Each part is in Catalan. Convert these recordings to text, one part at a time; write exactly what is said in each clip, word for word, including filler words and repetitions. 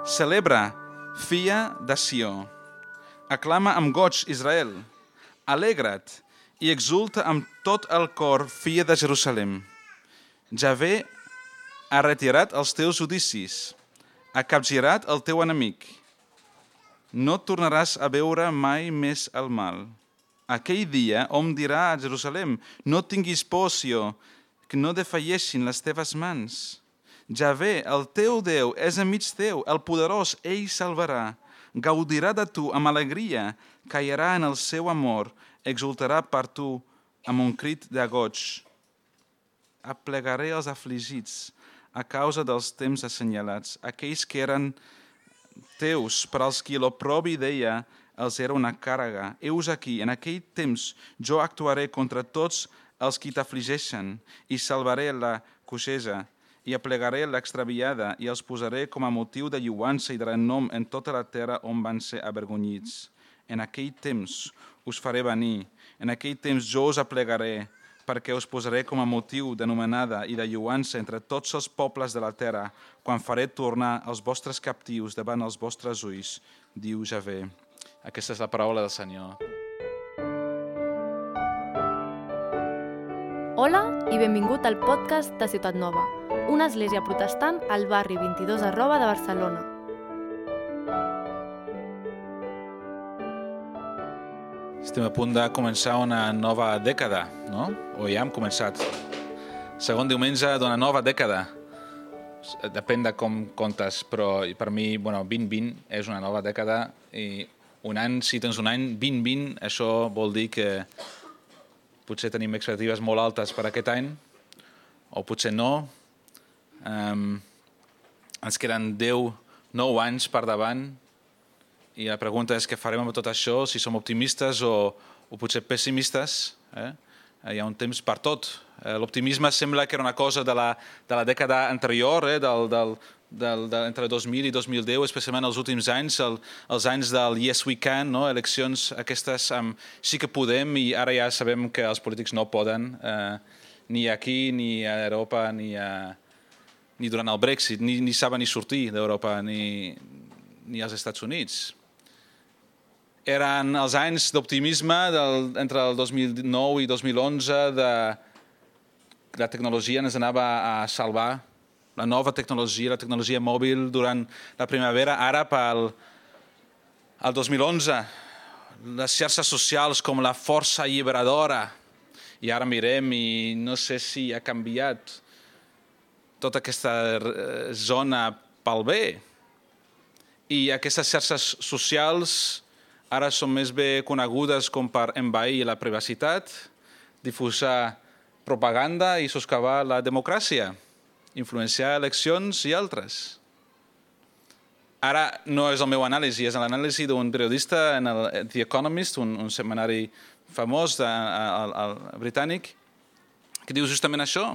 Celebra, filla de Sió. Aclama amb goig, Israel. Alegra't i exulta amb tot el cor, filla de Jerusalem. Javé ha retirat els teus judicis, ha capgirat el teu enemic. No tornaràs a veure mai més el mal. Aquell dia hom dirà a Jerusalem, no tinguis por, Sió, que no defalleixin les teves mans. Javé, el teu Déu, és enmig teu, el poderós, ell salvarà. Gaudirà de tu amb alegria, cairà en el seu amor, exultarà per tu amb un crit de goig. Aplegaré els afligits a causa dels temps assenyalats, aquells que eren teus, per als qui l'oprobi deia, els era una càrrega. Heus aquí, en aquell temps, jo actuaré contra tots els qui t'afligeixen i salvaré la coixeja i aplegaré l'extraviada i els posaré com a motiu de lluança i de renom en tota la terra on van ser avergonyits. En aquell temps us faré venir, en aquell temps jo us aplegaré, perquè us posaré com a motiu d'anomenada i de lluança entre tots els pobles de la terra, quan faré tornar els vostres captius davant els vostres ulls, diu Javé. Aquesta és la paraula del Senyor. Hola i benvingut al podcast de Ciutat Nova, una església protestant al barri vint-i-dos arroba de Barcelona. Estem a punt de començar una nova dècada, no? O ja hem començat. Segon diumenge d'una nova dècada. Depèn de com comptes, però per mi, bueno, vint vint és una nova dècada i un any, si tens un any, vint vint, això vol dir que potser tenim expectatives molt altes per aquest any, o potser no. Um, ens queden deu, nou anys per davant, i la pregunta és què farem amb tot això, si som optimistes o, o potser pessimistes. Eh? Hi ha un temps per tot. Eh, l'optimisme sembla que era una cosa de la, de la dècada anterior, eh? del, del, del, de, entre dos mil i dos mil deu, especialment els últims anys, el, els anys del Yes We Can, no? Eleccions aquestes um, sí que podem, i ara ja sabem que els polítics no poden, eh, ni aquí, ni a Europa, ni, a, ni durant el Brexit, ni, ni saben ni sortir d'Europa, ni, ni als Estats Units. Eren els anys d'optimisme del, entre el dos mil nou i dos mil onze, de la tecnologia ens anava a salvar, la nova tecnologia, la tecnologia mòbil durant la primavera. Ara, pel el dos mil onze, les xarxes socials com la força alliberadora, i ara mirem i no sé si ha canviat tota aquesta zona pel bé. I aquestes xarxes socials ara són més bé conegudes com per envair la privacitat, difusar propaganda i soscavar la democràcia, influenciar eleccions i altres. Ara no és el meu anàlisi, és l'anàlisi d'un periodista en el The Economist, un, un setmanari famós de, el, el britànic, que diu justament això.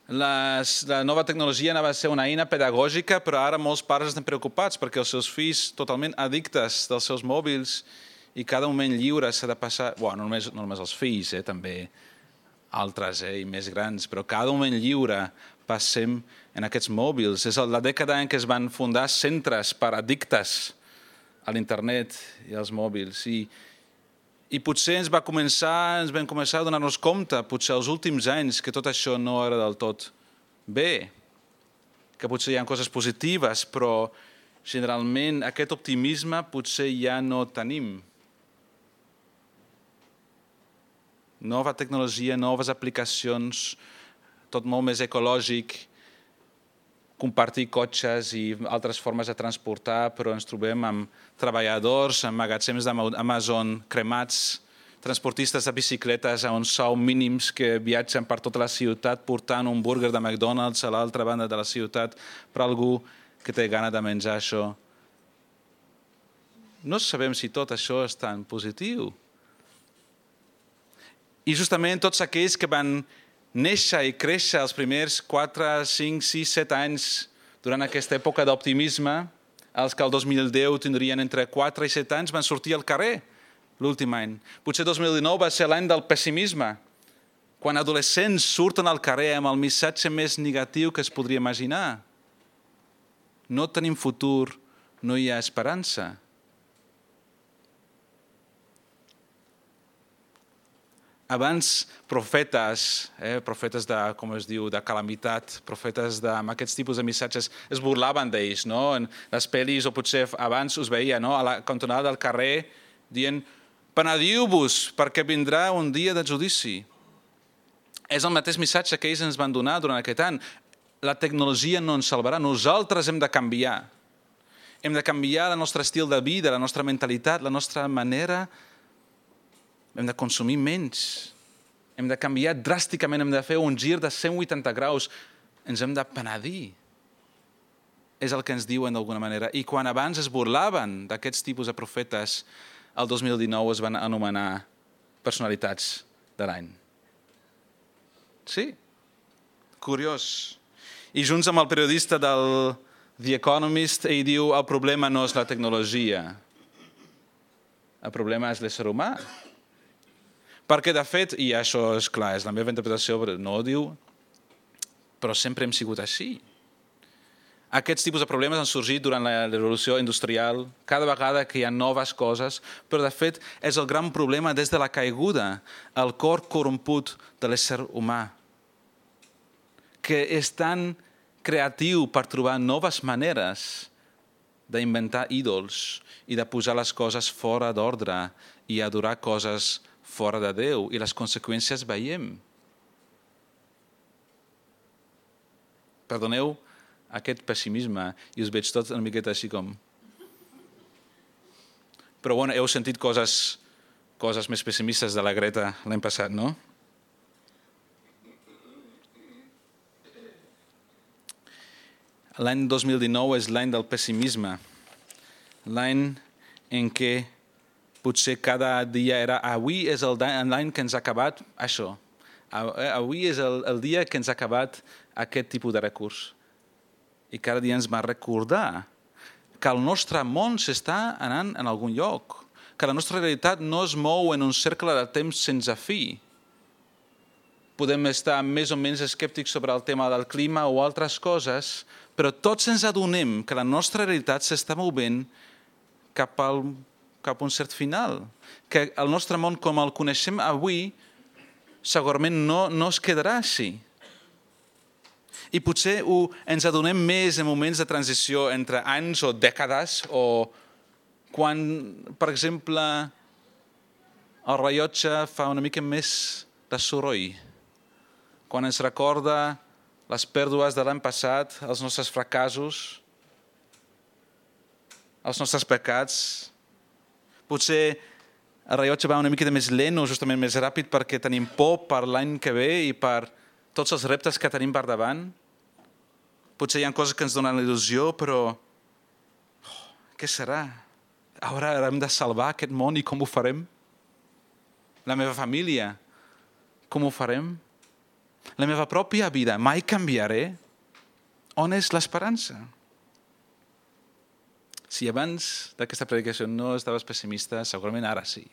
Les, la nova tecnologia anava a ser una eina pedagògica, però ara molts pares estan preocupats perquè els seus fills totalment addictes dels seus mòbils i cada moment lliure s'ha de passar... Bueno, no només, no només els fills, eh, també altres eh, i més grans, però cada moment lliure passem en aquests mòbils. És la dècada en què es van fundar centres per addictes a l'internet i als mòbils. I, i potser ens va començar, ens vam començar a donar-nos compte, potser els últims anys, que tot això no era del tot bé, que potser hi ha coses positives, però generalment aquest optimisme potser ja no tenim. Nova tecnologia, noves aplicacions, tot molt més ecològic, compartir cotxes i altres formes de transportar, però ens trobem amb treballadors, amb magatzems d'Amazon cremats, transportistes de bicicletes a uns sous mínims que viatgen per tota la ciutat portant un burger de McDonald's a l'altra banda de la ciutat per algú que té gana de menjar això. No sabem si tot això és tan positiu. I justament tots aquells que van néixer i créixer els primers quatre, cinc, sis, set anys durant aquesta època d'optimisme, els que el dos mil deu tindrien entre quatre i set anys, van sortir al carrer l'últim any. Potser dos mil dinou va ser l'any del pessimisme, quan adolescents surten al carrer amb el missatge més negatiu que es podria imaginar. no tenim futur, no hi ha esperança. Abans, profetes, eh, profetes de, com es diu, de calamitat, profetes de, amb aquests tipus de missatges, es burlaven d'ells, no? En les pel·lis, o potser abans us veia, no? A la cantonada del carrer, dient, penediu-vos, perquè vindrà un dia de judici. És el mateix missatge que ells ens van donar durant aquest any. La tecnologia no ens salvarà, nosaltres hem de canviar. Hem de canviar el nostre estil de vida, la nostra mentalitat, la nostra manera. Hem de consumir menys. Hem de canviar dràsticament, hem de fer un gir de cent vuitanta graus. Ens hem de penedir. És el que ens diuen d'alguna manera. I quan abans es burlaven d'aquests tipus de profetes, el dos mil dinou es van anomenar personalitats de l'any. Sí, curiós. I junts amb el periodista del The Economist, ell diu el problema no és la tecnologia, el problema és l'ésser humà. Perquè, de fet, i això és clar, és la meva interpretació, no ho diu, però sempre hem sigut així. Aquests tipus de problemes han sorgit durant la revolució industrial, cada vegada que hi ha noves coses, però, de fet, és el gran problema des de la caiguda, el cor corromput de l'ésser humà, que és tan creatiu per trobar noves maneres d'inventar ídols i de posar les coses fora d'ordre i adorar coses fora de Déu, i les conseqüències veiem. Perdoneu aquest pessimisme, i us veig tots una miqueta així com... Però bueno, heu sentit coses, coses més pessimistes de la Greta l'any passat, no? L'any dos mil dinou és l'any del pessimisme, l'any en què potser cada dia era avui és l'any que ens ha acabat això, avui és el, el dia que ens ha acabat aquest tipus de recurs. I cada dia ens va recordar que el nostre món s'està anant en algun lloc, que la nostra realitat no es mou en un cercle de temps sense fi. Podem estar més o menys escèptics sobre el tema del clima o altres coses, però tots ens adonem que la nostra realitat s'està movent cap, al, cap a un cert final, que el nostre món com el coneixem avui segurament no, no es quedarà així. I potser ho, ens adonem més en moments de transició entre anys o dècades, o quan, per exemple, el rellotge fa una mica més de soroll, quan ens recorda les pèrdues de l'any passat, els nostres fracassos, els nostres pecats. Potser el rellotge va una mica més lent o justament més ràpid perquè tenim por per l'any que ve i per tots els reptes que tenim per davant. Potser hi ha coses que ens donen il·lusió, però oh, què serà? Ara hem de salvar aquest món i com ho farem? La meva família, com ho farem? La meva pròpia vida, mai canviaré? On és l'esperança? Si abans d'aquesta predicació no estaves pessimista, segurament ara sí.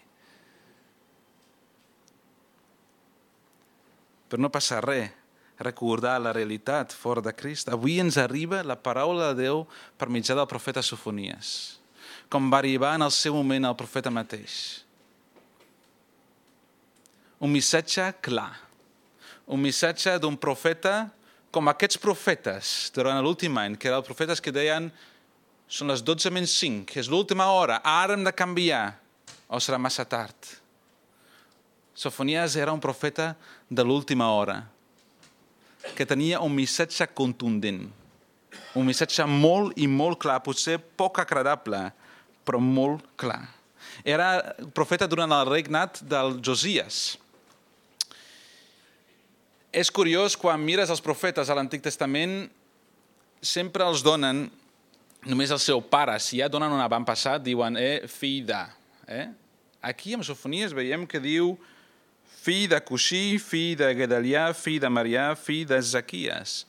Però no passa res. Recordar la realitat fora de Crist. Avui ens arriba la paraula de Déu per mitjà del profeta Sofonies, com va arribar en el seu moment el profeta mateix. Un missatge clar, un missatge d'un profeta com aquests profetes durant l'últim any, que eren els profetes que deien són les dotze menys cinc, és l'última hora, ara hem de canviar, o serà massa tard. Sofonies era un profeta de l'última hora, que tenia un missatge contundent, un missatge molt i molt clar, potser poc agradable, però molt clar. Era profeta durant el regnat del Josies. És curiós, quan mires els profetes a l'Antic Testament, sempre els donen només el seu pare. Si ja donen un avantpassat, diuen, eh, fill de. Eh? Aquí, amb Sofonies, veiem que diu fill de Cushí, fill de Gedalià, fill de Marià, fill de Zaquies.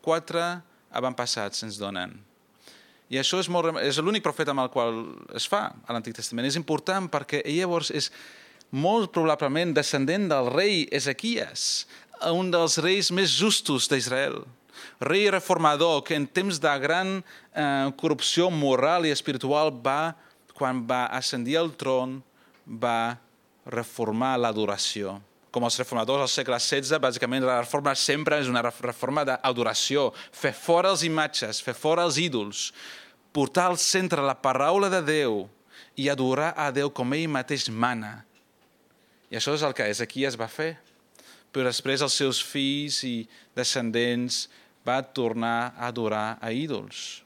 Quatre avantpassats ens donen. I això és, molt, és l'únic profeta amb el qual es fa a l'Antic Testament. És important perquè llavors és molt probablement descendent del rei Ezequies, un dels reis més justos d'Israel. rei reformador que en temps de gran eh, corrupció moral i espiritual va, quan va ascendir al tron, va reformar l'adoració. Com els reformadors del segle setze, bàsicament la reforma sempre és una reforma d'adoració. Fer fora les imatges, fer fora els ídols, portar al centre la paraula de Déu i adorar a Déu com ell mateix mana. I això és el que Ezequies va fer. Però després els seus fills i descendents va tornar a adorar a ídols.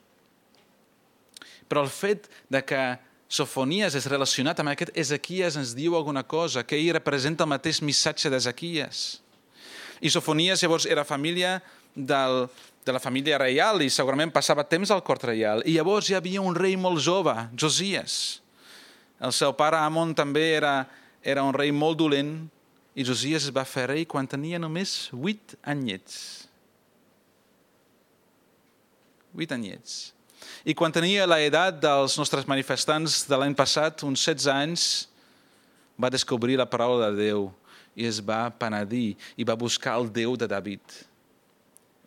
Però el fet de que Sofonies és relacionat amb aquest Ezequies ens diu alguna cosa, que ell representa el mateix missatge d'Ezequies. I Sofonies llavors era família del, de la família reial i segurament passava temps al cort reial. I llavors hi havia un rei molt jove, Josies. El seu pare Amon també era, era un rei molt dolent i Josies es va fer rei quan tenia només vuit anyets. Vuit anyets. I quan tenia l'edat dels nostres manifestants de l'any passat, uns setze anys, va descobrir la paraula de Déu i es va penedir i va buscar el Déu de David.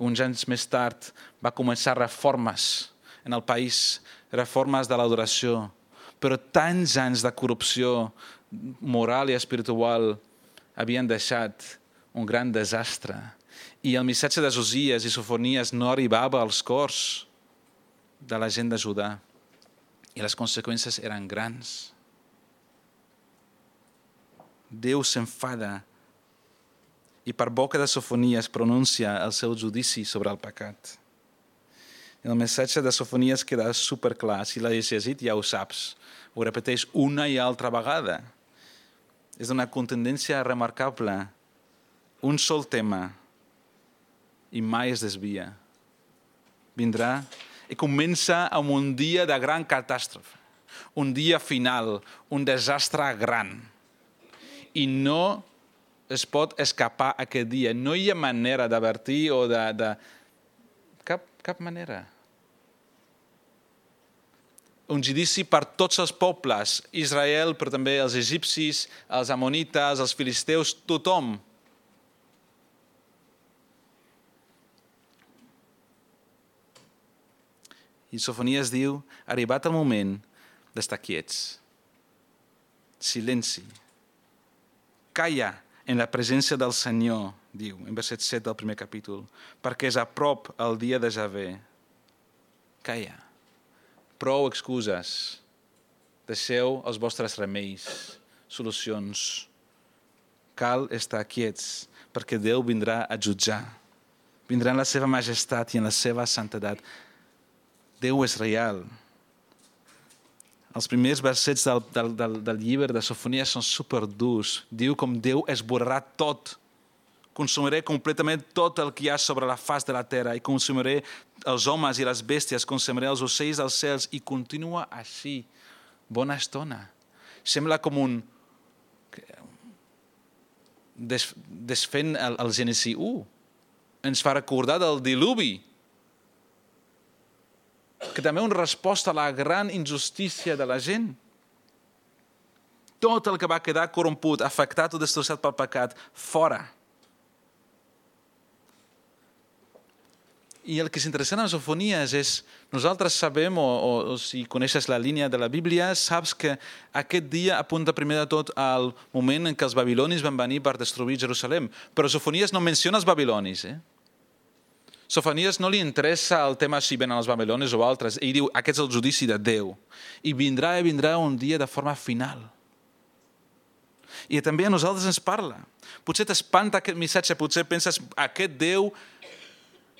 Uns anys més tard va començar reformes en el país, reformes de l'adoració, però tants anys de corrupció moral i espiritual havien deixat un gran desastre. I el missatge de Josies i Sofonies no arribava als cors de la gent de Judà. I les conseqüències eren grans. Déu s'enfada i per boca de Sofonies pronuncia el seu judici sobre el pecat. El missatge de Sofonies queda superclar. Si l'has llegit ja ho saps. Ho repeteix una i altra vegada. És una contundència remarcable. Un sol tema i mai es desvia. Vindrà i comença amb un dia de gran catàstrofe, un dia final, un desastre gran. I no es pot escapar aquest dia. No hi ha manera d'avertir o de... de... Cap, cap manera. Un judici per tots els pobles, Israel, però també els egipcis, els amonites, els filisteus, tothom. I Sofonies diu, arribat el moment d'estar quiets. Silenci. Calla en la presència del Senyor, diu, en verset set del primer capítol, perquè és a prop el dia de Javé. Calla. Prou excuses. Deixeu els vostres remeis, solucions. Cal estar quiets, perquè Déu vindrà a jutjar. Vindrà en la seva majestat i en la seva santedat. Déu és real. Els primers versets del, del, del, del llibre de Sofonies són superdurs. Diu com Déu esborrarà tot. Consumiré completament tot el que hi ha sobre la faç de la terra i consumiré els homes i les bèsties, consumiré els ocells dels cels i continua així. Bona estona. Sembla com un... Des, desfent el, el Gènesi u. Ens fa recordar del diluvi. Que també una resposta a la gran injustícia de la gent. Tot el que va quedar corromput, afectat o destrossat pel pecat, fora. I el que és interessant en Sofonies és, nosaltres sabem, o, o, o si coneixes la línia de la Bíblia, saps que aquest dia apunta primer de tot al moment en què els babilonis van venir per destruir Jerusalem. Però Sofonies no menciona els babilonis, eh? Sofonies no li interessa el tema si venen els babilonis o altres. Ell diu, aquest és el judici de Déu. I vindrà i vindrà un dia de forma final. I també a nosaltres ens parla. Potser t'espanta aquest missatge, potser penses, aquest Déu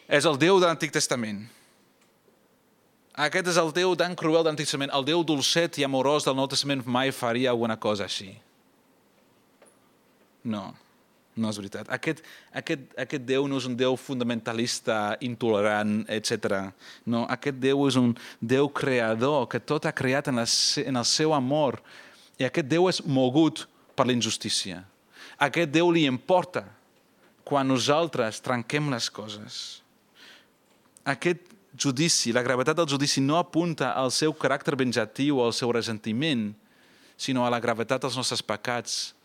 és el Déu de l'Antic Testament. Aquest és el Déu tan cruel de l'Antic Testament. El Déu dolcet i amorós del Nou Testament mai faria alguna cosa així. No. No és veritat. Aquest, aquest, aquest Déu no és un Déu fundamentalista, intolerant, etcètera. No, aquest Déu és un Déu creador que tot ha creat en, la, en el seu amor. I aquest Déu és mogut per la injustícia. Aquest Déu li importa quan nosaltres trenquem les coses. Aquest judici, la gravetat del judici no apunta al seu caràcter venjatiu o al seu ressentiment, sinó a la gravetat dels nostres pecats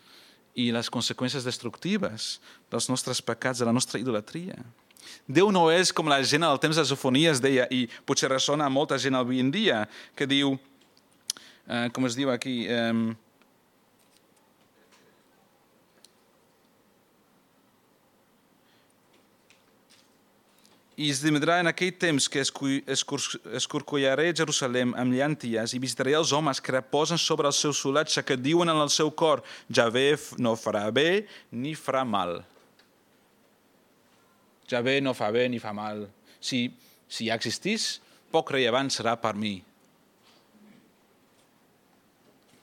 i les conseqüències destructives dels nostres pecats, de la nostra idolatria. Déu no és com la gent al temps de Sofonies deia, i potser ressona a molta gent avui en dia, que diu, eh, com es diu aquí, eh, i esdevindrà en aquell temps que escorcollaré Jerusalem amb llànties i visitaré els homes que reposen sobre el seu solatge, que diuen en el seu cor, Javé no farà bé ni farà mal. Javé no fa bé ni fa mal. Si, si ja existís, poc rellevant serà per mi.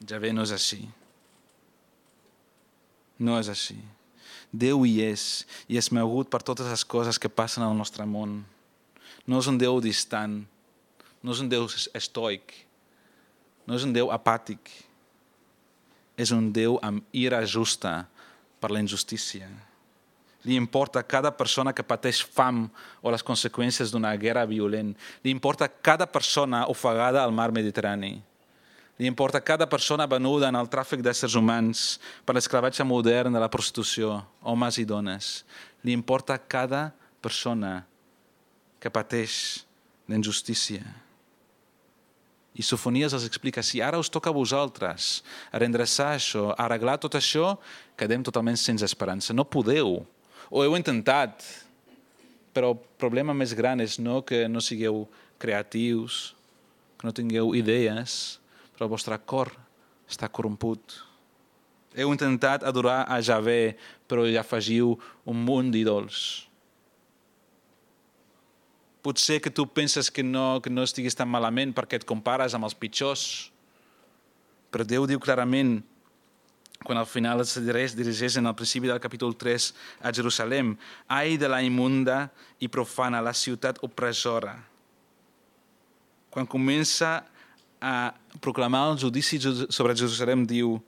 Javé no és així. No és així. Déu hi és, i és mogut per totes les coses que passen al nostre món. No és un Déu distant, no és un Déu estoic, no és un Déu apàtic. És un Déu amb ira justa per la injustícia. Li importa cada persona que pateix fam o les conseqüències d'una guerra violent. Li importa cada persona ofegada al mar Mediterrani. Li importa cada persona venuda en el tràfic d'éssers humans per l'esclavatge modern de la prostitució, homes i dones. Li importa cada persona que pateix d'injustícia. I Sofonies els explica, si ara us toca a vosaltres a redreçar això, a arreglar tot això, quedem totalment sense esperança. No podeu. Ho heu intentat, però el problema més gran és no que no sigueu creatius, que no tingueu idees, però el vostre cor està corromput. Heu intentat adorar a Javé, però hi afegiu un munt d'ídols. Potser que tu penses que no, que no estiguis tan malament perquè et compares amb els pitjors, però Déu diu clarament, quan al final es dirigeix en el principi del capítol tres a Jerusalem, ai de la immunda i profana, la ciutat opressora. Quan comença a proclamar el judici sobre Jerusalem, diu,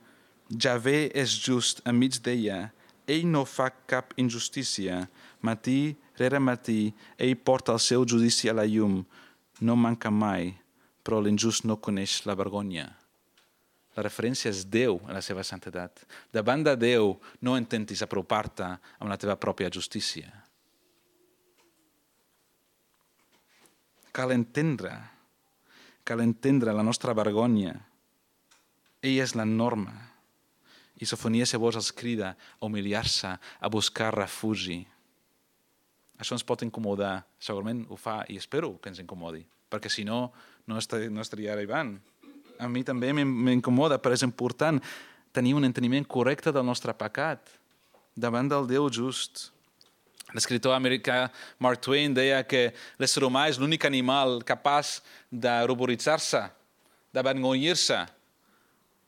Javé és just enmig d'ella, ell no fa cap injustícia, matí rere matí, ell porta el seu judici a la llum, no manca mai, però l'injust no coneix la vergonya. La referència és Déu en la seva santedat. Davant de Déu no intentis apropar-te amb la teva pròpia justícia. Cal entendre, cal entendre la nostra vergonya. Ella és la norma. I Sofonies llavors els crida a humiliar-se, a buscar refugi. Això ens pot incomodar. Segurament ho fa i espero que ens incomodi, perquè si no, no estaria arribant. A mi també m'incomoda, però és important tenir un enteniment correcte del nostre pecat davant del Déu just. L'escriptor americà Mark Twain deia que l'ésser humà és l'únic animal capaç de ruboritzar-se, d'avergonyir-se,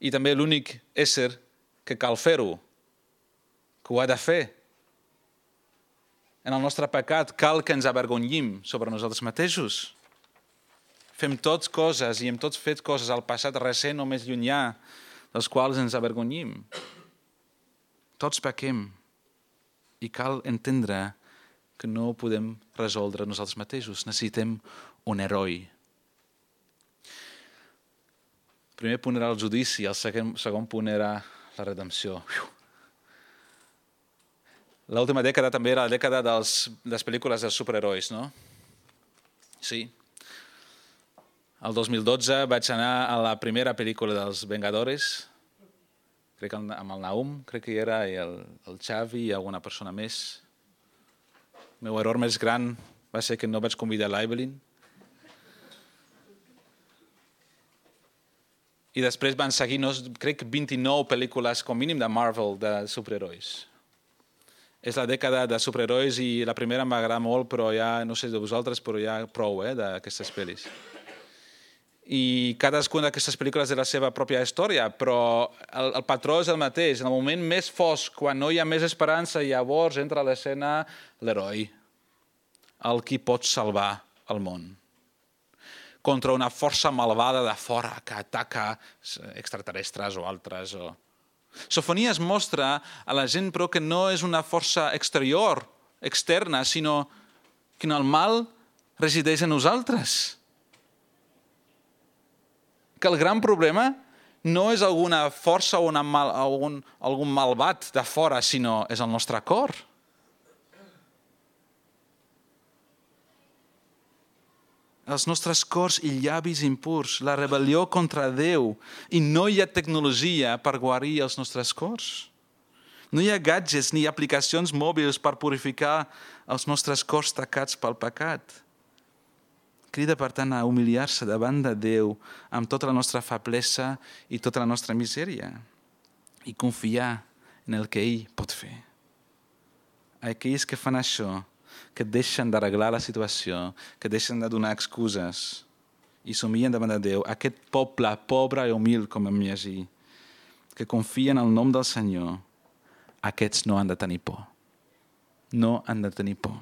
i també l'únic ésser que cal fer-ho, que ho ha de fer. En el nostre pecat cal que ens avergonyim sobre nosaltres mateixos. Fem tots coses i hem tots fet coses al passat recent o més llunyà, dels quals ens avergonyim. Tots pequem i cal entendre que no ho podem resoldre nosaltres mateixos. Necessitem un heroi. El primer punt era el judici, el segon, segon punt era la redempció. L'última dècada també era la dècada dels, de les pel·lícules dels superherois, no? Sí. El dos mil dotze vaig anar a la primera pel·lícula dels Vengadores, crec que amb el Naum, crec que hi era, i el, el Xavi i alguna persona més. El meu error més gran va ser que no vaig convidar l'Evelyn. I després van seguir, no, crec, vint-i-nou pel·lícules com mínim de Marvel, de superherois. És la dècada de superherois i la primera em va agradar molt, però ja, no sé de vosaltres, però ja prou eh, d'aquestes pel·lis. I cadascuna d'aquestes pel·lícules té la seva pròpia història, però el, el patró és el mateix. En el moment més fosc, quan no hi ha més esperança, llavors entra a l'escena l'heroi, el qui pot salvar el món. Contra una força malvada de fora que ataca extraterrestres o altres. O... Sofonies mostra a la gent, però, que no és una força exterior, externa, sinó que el mal resideix en nosaltres. Que el gran problema no és alguna força o una mal, algun, algun malvat de fora, sinó és el nostre cor. els nostres cors i llavis impurs, la rebel·lió contra Déu, i no hi ha tecnologia per guarir els nostres cors. No hi ha gadgets ni aplicacions mòbils per purificar els nostres cors tacats pel pecat. Crida, per tant, a humiliar-se davant de Déu amb tota la nostra feblesa i tota la nostra misèria i confiar en el que ell pot fer. Aquells que fan això, que deixen d'arreglar la situació, que deixen de donar excuses i s'humillen davant de Déu, aquest poble pobre i humil, com vam llegir, que confien en el nom del Senyor, aquests no han de tenir por. No han de tenir por.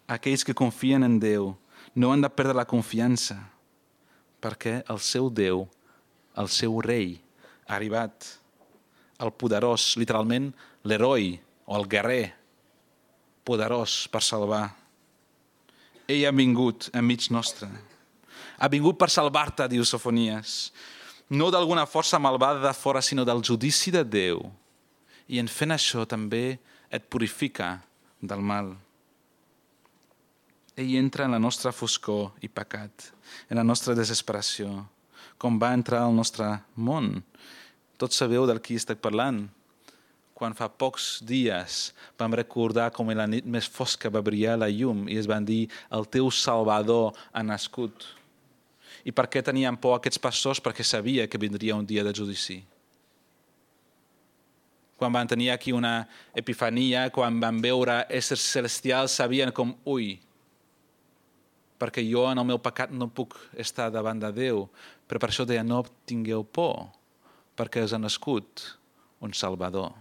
Aquells que confien en Déu no han de perdre la confiança, perquè el seu Déu, el seu rei, ha arribat, el poderós, literalment l'heroi o el guerrer, poderós per salvar. Ell ha vingut enmig nostre. Ha vingut per salvar-te, diu Sofonies. No d'alguna força malvada de fora, sinó del judici de Déu. I en fent això també et purifica del mal. Ell entra en la nostra foscor i pecat, en la nostra desesperació, com va entrar al nostre món. Tots sabeu del qui estic parlant. Quan fa pocs dies vam recordar com en la nit més fosca va brillar la llum i es van dir el teu Salvador ha nascut. I per què tenien por aquests pastors? Perquè sabia que vindria un dia de judici. Quan van tenir aquí una epifania, quan van veure éssers celestials, sabien com, ui, perquè jo en el meu pecat no puc estar davant de Déu, però per això deia, no tingueu por, perquè us ha nascut un Salvador.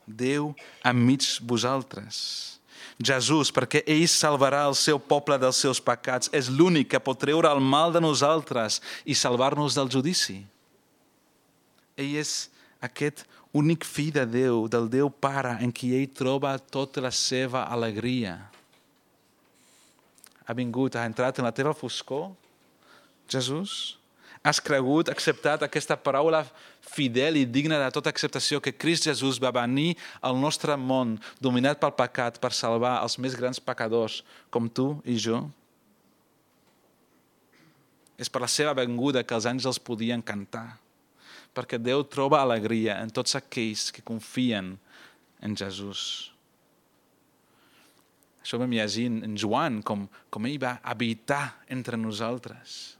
Déu enmig vosaltres. Jesús, perquè ell salvarà el seu poble dels seus pecats, és l'únic que pot treure el mal de nosaltres i salvar-nos del judici. Ell és aquest únic fill de Déu, del Déu Pare, en qui ell troba tota la seva alegria. Ha vingut, ha entrat en la teva foscor, Jesús. Has cregut, acceptat aquesta paraula fidel i digna de tota acceptació que Crist Jesús va venir al nostre món dominat pel pecat per salvar els més grans pecadors com tu i jo? És per la seva venguda que els àngels podien cantar, perquè Déu troba alegria en tots aquells que confien en Jesús. Això vam llegir en Joan, com, com ell va habitar entre nosaltres.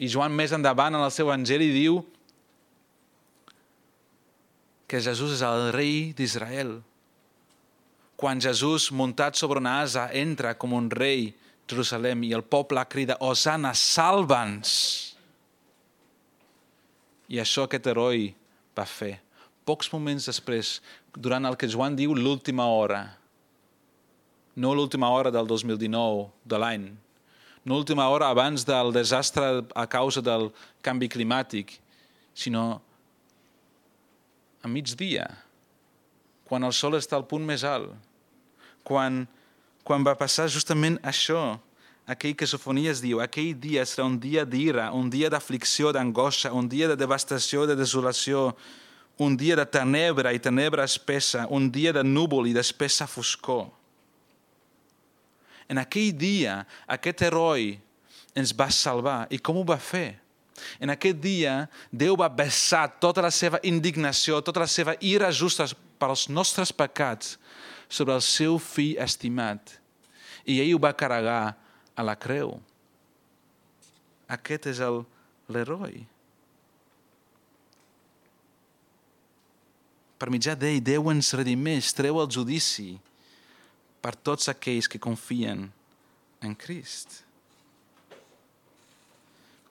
I Joan més endavant en el seu evangeli diu que Jesús és el rei d'Israel. Quan Jesús, muntat sobre una asa, entra com un rei a Jerusalem i el poble crida, Hosana, salva'ns! I això aquest heroi va fer. Pocs moments després, durant el que Joan diu l'última hora, no l'última hora del dos mil dinou, de l'any, no l'última hora abans del desastre a causa del canvi climàtic, sinó a migdia, quan el sol està al punt més alt, quan, quan va passar justament això, aquell que Sofonies diu, aquell dia serà un dia d'ira, un dia d'aflicció, d'angoixa, un dia de devastació, de desolació, un dia de tenebra i tenebra espessa, un dia de núvol i d'espessa foscor. En aquell dia, aquest heroi ens va salvar. I com ho va fer? En aquest dia, Déu va vessar tota la seva indignació, tota la seva ira justa pels nostres pecats sobre el seu fill estimat. I ell ho va carregar a la creu. Aquest és el, l'heroi. Per mitjà d'ell, Déu ens redimeix, treu el judici per tots aquells que confien en Crist.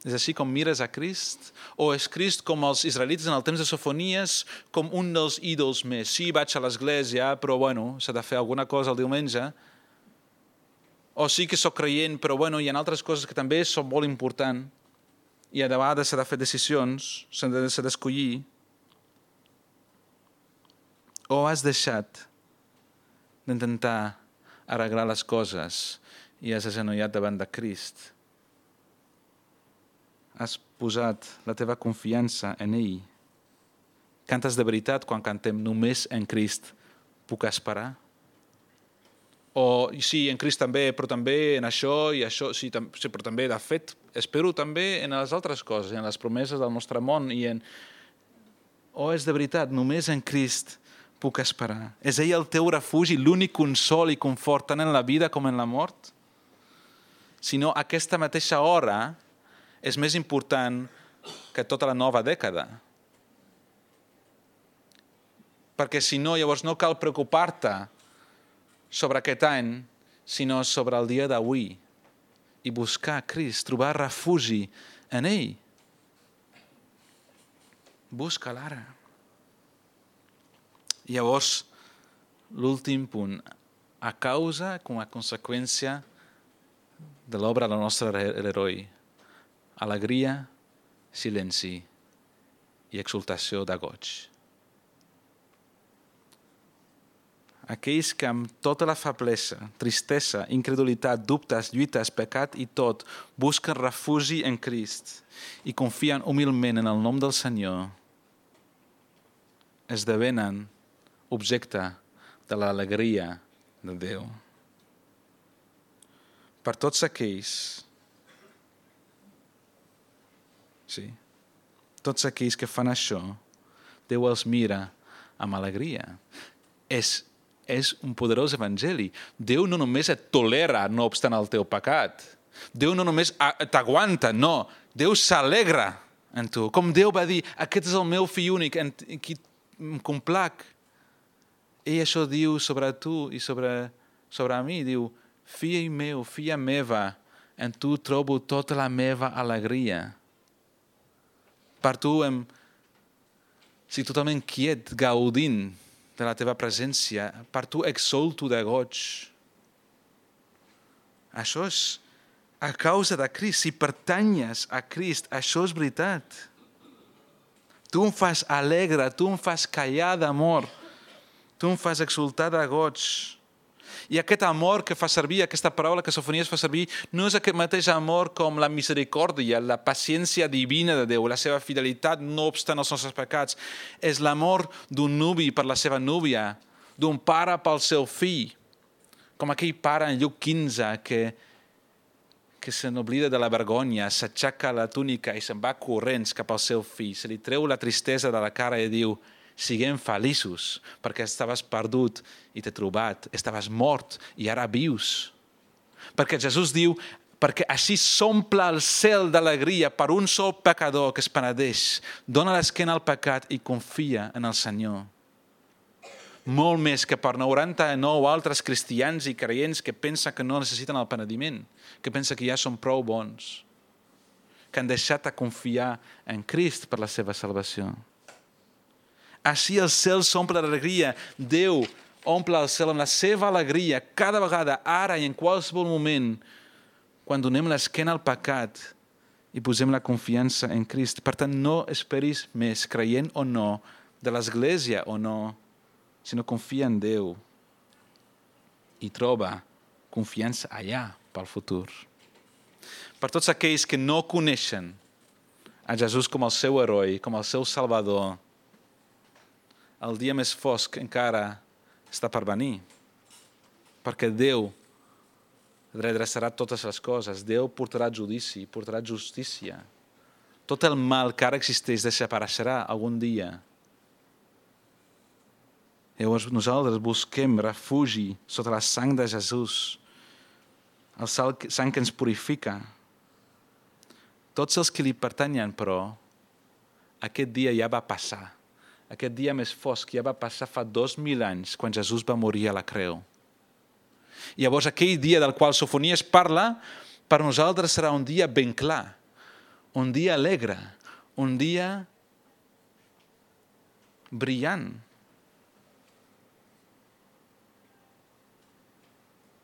És així com mires a Crist? O és Crist com els israelites en el temps de Sofonies, com un dels ídols més? Sí, vaig a l'església, però bueno, s'ha de fer alguna cosa el diumenge. O sí que sóc creient, però bueno, hi ha altres coses que també són molt importants. I a vegades s'ha de fer decisions, s'ha de, s'ha d'escollir. O has deixat d'intentar arreglar les coses i has agenollat davant de Crist. Has posat la teva confiança en ell. Cantes de veritat quan cantem només en Crist puc esperar? O sí, en Crist també, però també en això i això, sí, tam sí, però també, de fet, espero també en les altres coses, en les promeses del nostre món i en... O és de veritat, només en Crist puc esperar. És ell el teu refugi, l'únic consol i confort tant en la vida com en la mort? Si no, aquesta mateixa hora és més important que tota la nova dècada. Perquè si no, llavors no cal preocupar-te sobre aquest any, sinó sobre el dia d'avui i buscar Crist, trobar refugi en ell. Busca'l ara. I llavors, l'últim punt, a causa, com a conseqüència de l'obra del nostre heroi, alegria, silenci i exultació de goig. Aquells que amb tota la feblesa, tristesa, incredulitat, dubtes, lluites, pecat i tot, busquen refugi en Crist i confien humilment en el nom del Senyor, esdevenen objecte de l'alegria de Déu. Per tots aquells, sí, tots aquells que fan això, Déu els mira amb alegria. És és un poderós evangeli. Déu no només et tolera no obstant el teu pecat. Déu no només t'aguanta, no. Déu s'alegra en tu. Com Déu va dir, aquest és el meu fill únic, en qui em complac. Ell això diu sobre tu i sobre, sobre mi. Diu, fill meu, filla meva, en tu trobo tota la meva alegria. Per tu em... estic totalment quiet, gaudint de la teva presència, per tu exulto de goig. Això és a causa de Crist. Si pertanyes a Crist, això és veritat. Tu em fas alegre, tu em fas callar d'amor, tu em fas exultar de goig. I aquest amor que fa servir, aquesta paraula que Sofonies fa servir, no és aquest mateix amor com la misericòrdia, la paciència divina de Déu, la seva fidelitat no obstant els nostres pecats. És l'amor d'un nuvi per la seva núvia, d'un pare pel seu fill, com aquell pare en Lluc quinze que, que se n'oblida de la vergonya, s'aixeca la túnica i se'n va corrents cap al seu fill, se li treu la tristesa de la cara i diu: siguem feliços, perquè estaves perdut i t'he trobat, estaves mort i ara vius. Perquè Jesús diu, perquè així s'omple el cel d'alegria per un sol pecador que es penedeix, dona l'esquena al pecat i confia en el Senyor. Molt més que per noranta-nou altres cristians i creients que pensen que no necessiten el penediment, que pensen que ja són prou bons, que han deixat de confiar en Crist per la seva salvació. Així el cel s'omple d'alegria. Déu omple el cel amb la seva alegria cada vegada, ara i en qualsevol moment, quan donem l'esquena al pecat i posem la confiança en Crist. Per tant, no esperis més, creient o no, de l'Església o no, sinó confia en Déu i troba confiança allà pel futur. Per tots aquells que no coneixen a Jesús com el seu heroi, com el seu Salvador, el dia més fosc encara està per venir, perquè Déu redreçarà totes les coses. Déu portarà judici, portarà justícia. Tot el mal que ara existeix desapareixerà algun dia. Llavors nosaltres busquem refugi sota la sang de Jesús, el sang que ens purifica. Tots els que li pertanyen, però, aquest dia ja va passar. Aquest dia més fosc ja va passar fa dos mil anys, quan Jesús va morir a la creu. I llavors aquell dia del qual Sofonies parla, per nosaltres serà un dia ben clar, un dia alegre, un dia brillant.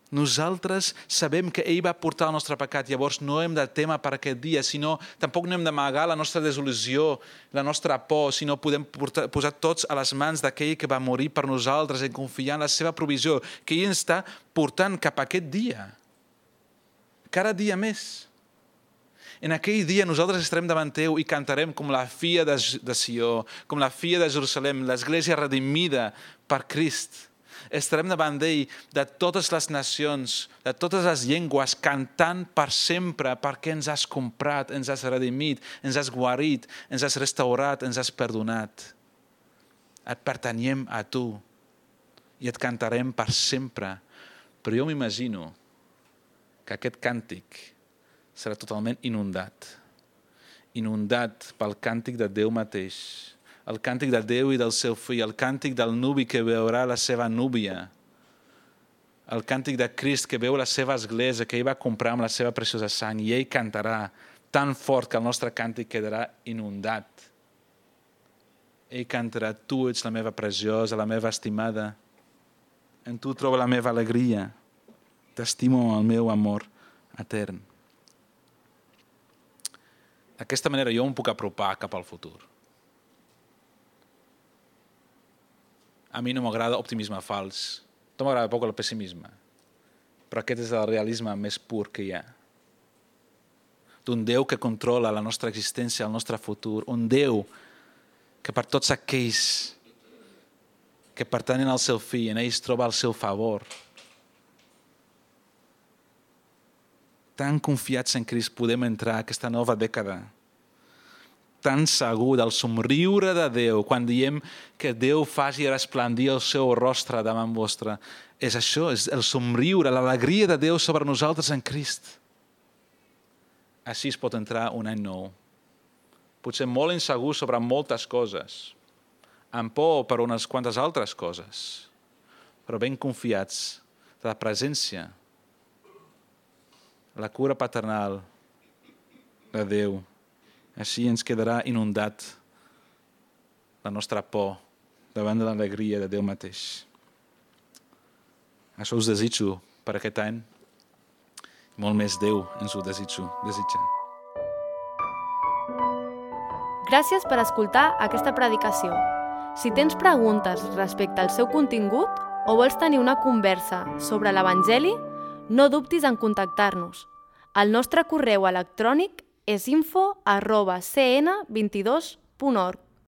Nosaltres sabem que ell va portar el nostre pecat, llavors no hem de témer per aquest dia, sinó tampoc no hem d'amagar la nostra desil·lusió, la nostra por, sinó podem portar, posar tots a les mans d'aquell que va morir per nosaltres i confiar en la seva provisió, que ell ens està portant cap a aquest dia. Cada dia més. En aquell dia nosaltres estarem davant teu i cantarem com la filla de, de Sió, com la filla de Jerusalem, l'església redimida per Crist. estarem davant d'ell de totes les nacions, de totes les llengües, cantant per sempre perquè ens has comprat, ens has redimit, ens has guarit, ens has restaurat, ens has perdonat. Et pertanyem a tu i et cantarem per sempre. Però jo m'imagino que aquest càntic serà totalment inundat. Inundat pel càntic de Déu mateix, el càntic de Déu i del seu fill, el càntic del nuvi que veurà la seva núvia, el càntic de Crist que veu la seva església, que ell va comprar amb la seva preciosa sang, i ell cantarà tan fort que el nostre càntic quedarà inundat. Ell cantarà, tu ets la meva preciosa, la meva estimada, en tu trobo la meva alegria, t'estimo amb el meu amor etern. D'aquesta manera jo em puc apropar cap al futur. A mi no m'agrada optimisme fals, no m'agrada poc el pessimisme, però aquest és el realisme més pur que hi ha. D'un Déu que controla la nostra existència, el nostre futur, un Déu que per tots aquells que pertanyen al seu fill, en ells troba el seu favor. Tan confiats en Crist podem entrar a aquesta nova dècada, tan segur del somriure de Déu, quan diem que Déu faci resplendir el seu rostre davant vostre. És això, és el somriure, l'alegria de Déu sobre nosaltres en Crist. Així es pot entrar un any nou. Potser molt insegur sobre moltes coses, amb por per unes quantes altres coses, però ben confiats de la presència, la cura paternal de Déu. Així ens quedarà inundat la nostra por davant de l'alegria de Déu mateix. Això us desitjo per aquest any. Molt més Déu ens ho desitjo, desitja. Gràcies per escoltar aquesta predicació. Si tens preguntes respecte al seu contingut o vols tenir una conversa sobre l'Evangeli, no dubtis en contactar-nos. El nostre correu electrònic és info arroba c n vint dos punt org.